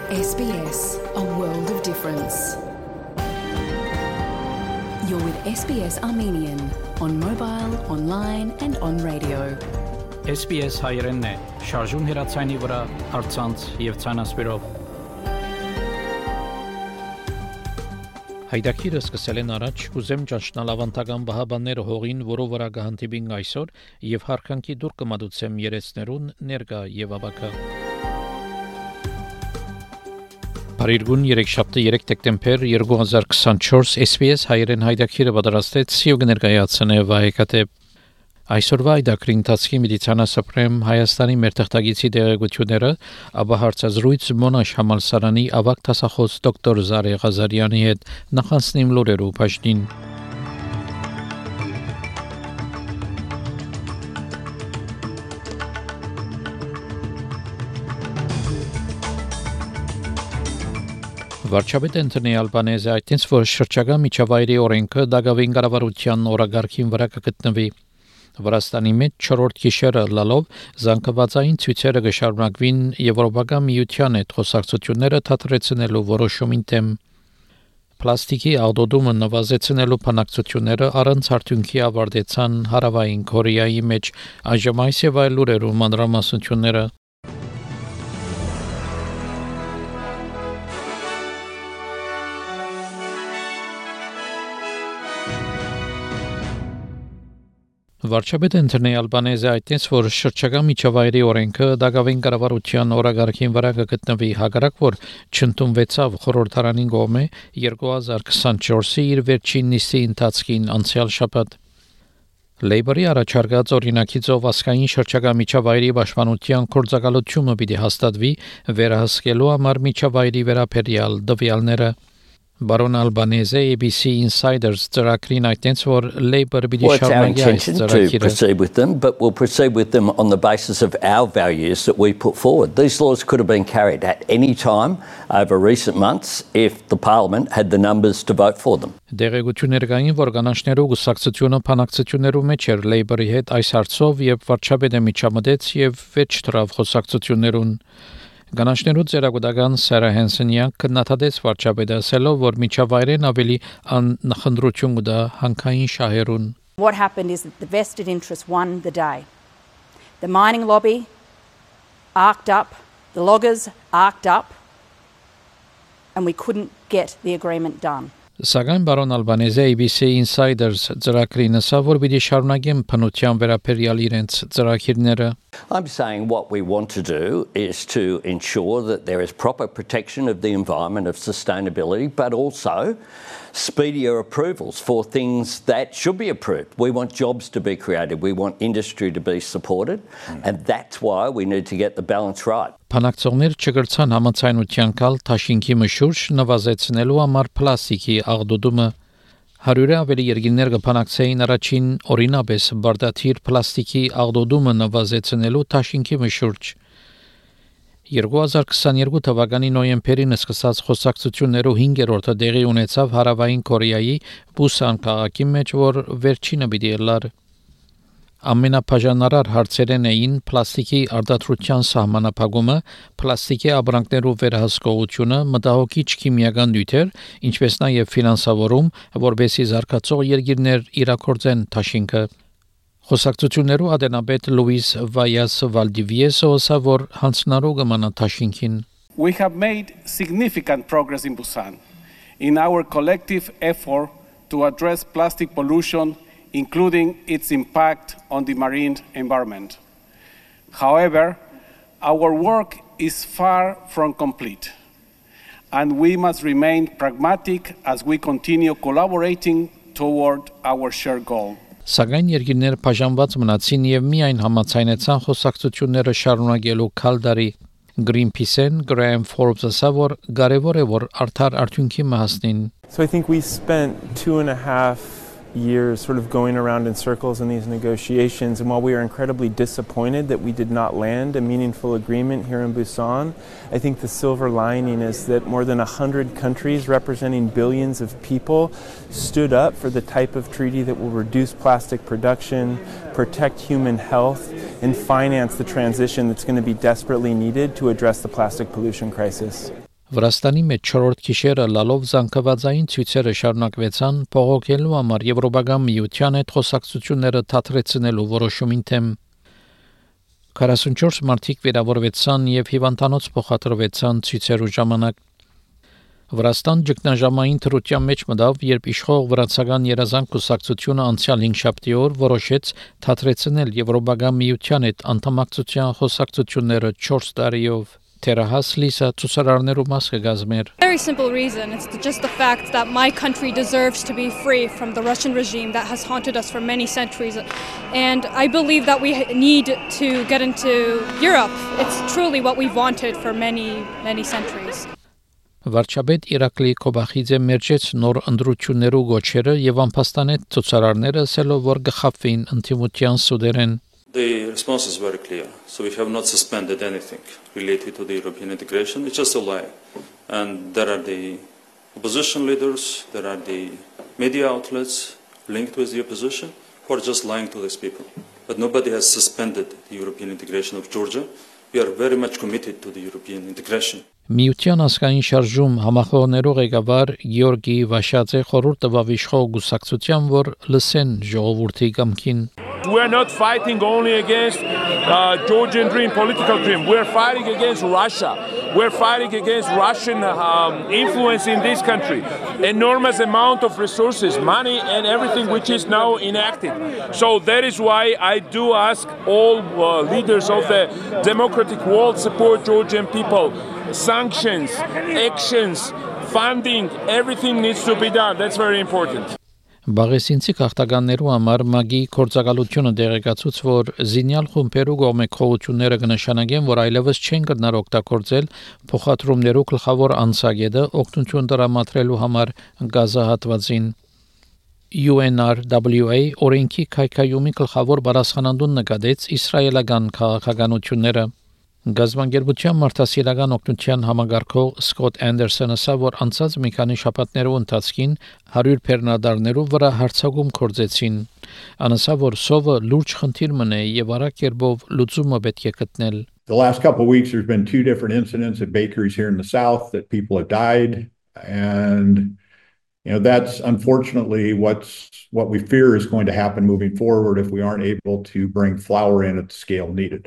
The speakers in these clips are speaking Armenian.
SBS, a world of difference. You're with SBS Armenian on mobile, online and on radio. SBS հայերենն է, շարժուն հեռացայինի վրա, առցանց եւ ցանասպիրով։ Հայդակիրը սկսել են առաջ, ուզեմ ճանչնալ ավանդական բահաբանները հողին, որով վրա կհանդիպին այսօր եւ հարկանքի դուր կմատուցեմ երեցներուն ներկա եւ աբակա։ Բարիրգուն 3 դեկտեմբեր 2024 SBS հայերեն հայդակիրը պատրաստեց եւ կներկայացնե վայեկատե Այսօրվա այդակրի ընթացքի մեդիցինասպրեմ Հայաստանի մեր թղթագիտի դերակցությունները, ապա հարցազրույց Մոնաշ համալսարանի ավագ դասախոս դոկտոր Զարե Ղազարյանի հետ նախանցնիմ լուրերու բաժնին։ Վարչապետ Անտոնի Ալբանեզը այդտենց որ շրջակա միջավայրի օրենքը դակավին կառավարության օրագարկին վրա կգտնվի Վրաստանի մեջ 4-րդ գիշերը լալով զանգվածային ցույցերը կշարունակվին Եվրոպական միության հետ խոսակցությունները թատրեցնելու որոշումին դեմ Պլաստիկի աղդոդումը նվազեցնելու բանակցությունները առանց արդյունքի ավարտեցան Հարավային Կորեայի մեջ այժմ այս եւ այլ լուրերու մանրամասնությունները Վարչապետ Անտոնի Ալբանեզը այդտենց որ շրջակա միջավայրի օրենքը դակավին կառավարության օրագարկին վրա կգտնվի հակառակ որ չընդունվեցավ խորհրդարանին կողմէ 2024-ի իր վերջին նիստի ընթացքին անցյալ շաբաթ Լեյբորի առաջարկած օրինակիցով ասկային շրջակա միջավայրի պաշտպանության գործակալությունը պիտի հաստատվի վերահսկելու համար միջավայրի վերաբերյալ տվյալները Baron Albanese ABC Insiders ծրագրին այդտենց որ Labour պիտի շարունակի այս ծրագիրը proceed with them but we'll proceed with them on the basis of our values that we put forward. These laws could have been carried at any time over recent months if the parliament had the numbers to vote for them. Դերեկություններ կային որ կանանչներու գուսակցությունը բանակցություններու մեջ էր Labour-ի հետ այս հարցով եւ վարչապետը միջամտեց եւ վերջ դրավ խոսակցություններուն Գանաշներու ծերագուտական Սարա Հենսենյան կնաթադեց վարչապետը ասելով որ միջավայրեն ավելի անխնդրություն կդա հանքային շահերուն What happened is that the vested interest won the day. The mining lobby arced up, the loggers arced up and we couldn't get the agreement done. Սակայն բարոն Ալբանեզը ABC Insiders ծրագրին ասավ որ պիտի շարունակեն փնության վերաբերյալ իրենց ծրագիրները I'm saying what we want to do is to ensure that there is proper protection of the environment, of sustainability, but also speedier approvals for things that should be approved. We want jobs to be created. We want industry to be supported. And that's why we need to get the balance right. Բանակցողներ չգրցան համաձայնության կալ Թաշինքի մշուրջ նվազեցնելու համար պլաստիկի աղդոդումը 100-ը ավելի երկիրներ կփանակցեին առաջին օրինապես բարդաթիր պլաստիկի աղդոդումը նվազեցնելու Թաշինքի մշուրջ 2022 թվականի նոյեմբերին սկսած խոսակցություններով 5-րդը տեղի ունեցավ Հարավային Կորեայի Բուսան քաղաքի մեջ, որ վերջինը պիտի լար Ամենաբաժանարար հարցերն էին պլաստիկի արտադրության սահմանափակումը, պլաստիկի ապրանքներով վերահսկողությունը, մտահոգիչ քիմիական նյութեր, ինչպես նաև ֆինանսավորում, որբեսի զարգացող երկիրներ իրակորձեն Թաշինքը Խոսակցություններու ադենաբեդ Լուիս Վայաս Վալդիվիեսը ասավ որ հանցնարու կմնա Թաշինքին We have made significant progress in Busan in our collective effort to address plastic pollution including its impact on the marine environment. However, our work is far from complete, and we must remain pragmatic as we continue collaborating toward our shared goal. Սակայն երկիրները բաժանված մնացին եւ միայն համաձայնեցան խոսակցությունները շարունակելու քալդարի Greenpeace-ն Graham Forbes ասավ որ կարեւոր է որ արդար արդյունքի մահացնին So I think we spent 2.5 years sort of going around in circles in these negotiations and while we are incredibly disappointed that we did not land a meaningful agreement here in Busan I think the silver lining is that more than 100 countries representing billions of people stood up for the type of treaty that will reduce plastic production protect human health and finance the transition that's going to be desperately needed to address the plastic pollution crisis Վրաստանի մեջ 4-րդ գիշերը լալով զանգվածային ցույցերը շարունակվեցան բողոքելու համար Եվրոպական միության հետ խոսակցությունները թատրեցնելու որոշումին թեմ 44 մարդիկ վիրավորվեցան եւ հիվանդանոց փոխադրվեցան ցույցերու ժամանակ Վրաստան ճգնաժամային թրության մեջ մտավ, երբ իշխող վրացական երազանք կուսակցությունը անցյալ 5 շաբթի օր որոշեց թատրեցնել Եվրոպական միության հետ անդամակցության խոսակցությունները 4 տարիով Terahas Lisa ցուցարարներու մաս կգազմեր Very simple reason. It's just the fact that my country deserves to be free from the Russian regime that has haunted us for many centuries. And I believe that we need to get into Europe. It's truly what we've wanted for many centuries. Վարչապետ Իրակլի Կոբախիձե մերժեց նոր ընդրություններու գոչերը եւ անփաստանեց ցուցարարները ասելով որ գխապվին ընդդիմության սուդերեն The response is very clear. So we have not suspended anything related to the European integration. It's just a lie. And there are the opposition leaders, there are the media outlets linked with the opposition who are just lying to these people. But nobody has suspended the European integration of Georgia. We are very much committed to the European integration. Միության ազգային շարժում համախոհներու ղեկավար Գեորգի Վաշաձե խորհուրդ տվավ իշխող գուսակցության, որ լսեն ժողովրդի կամքին We are not fighting only against Georgian dream, political dream. We are fighting against Russia. We are fighting against Russian influence in this country. Enormous amount of resources, money, and everything which is now enacted. So that is why I do ask all leaders of the democratic world support Georgian people. Sanctions, actions, funding, everything needs to be done. That's very important. Բաղեսինցի քաղաքականներու համար մագի կորցակալությունը դեղեկացուց, որ զինյալ խումբերու կողմէ քողությունները կնշանակեն, որ այլևս չեն կրնար օգտագործել փոխադրումներու գլխավոր անցագետը օգնություն տրամադրելու համար գազահատվածին UNRWA օրենքի քայքայումի գլխավոր բարձրանալուն նկատեց իսրայելական քաղաքականությունները Գազբանգերության մարդասիրական օգնության համագարկող Սկոտ Անդերսոնը ասավ, որ անցած մի քանի շաբաթներու ընթացքին 100 բեռնադարներու վրա հարձակում կործեցին։ Անասավ, որ սովը լուրջ խնդիր մնե եւ արագ կերպով լուծումը պետք է գտնել։ The last couple of weeks there's been 2 different incidents at bakeries here in the south that people have died and that's unfortunately what we fear is going to happen moving forward if we aren't able to bring flour in at the scale needed.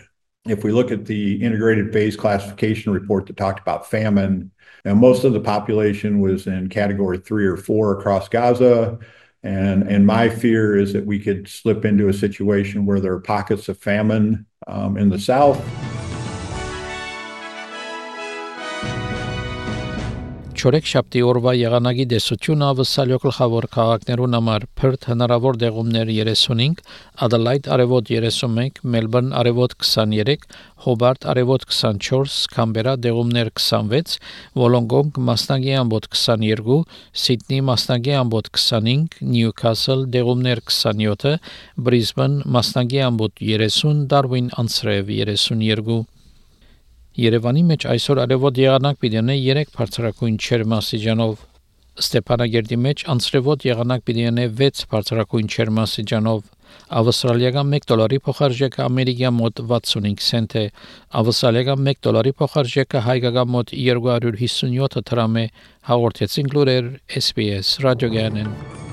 If we look at the integrated phase classification report that talked about famine, most of the population was in category 3 or 4 across Gaza. And my fear is that we could slip into a situation where there are pockets of famine in the south. Չորեք շաբթի օրվա եղանակի դեսությունը ավսալյո գլխավոր քաղաքներուն համար Perth հնարավոր դեղումներ 35, Adelaide արևոտ 31, Melbourne արևոտ 23, Hobart արևոտ 24, Canberra դեղումներ 26, Wollongong մասնագի ամբոտ 22, Sydney մասնագի ամբոտ 25, Newcastle դեղումներ 27, Brisbane մասնագի ամբոտ 30, Darwin անցրև 32 Երևանի մեջ այսօր արևոտ եղանակ պիտի ունենա 3 բարձրակույն ջերմաստիճանով Ստեփանագերդի մեջ անցրևոտ եղանակ պիտի ունենա 6 բարձրակույն ջերմաստիճանով Ավստրալիական $1 փոխարժեքը ամերիկյան մոտ 65 سنت է Ավստրալիական $1 փոխարժեքը հայկական մոտ 257 դրամ է հաղորդեցին լուրեր SPS ռադիոգյանեն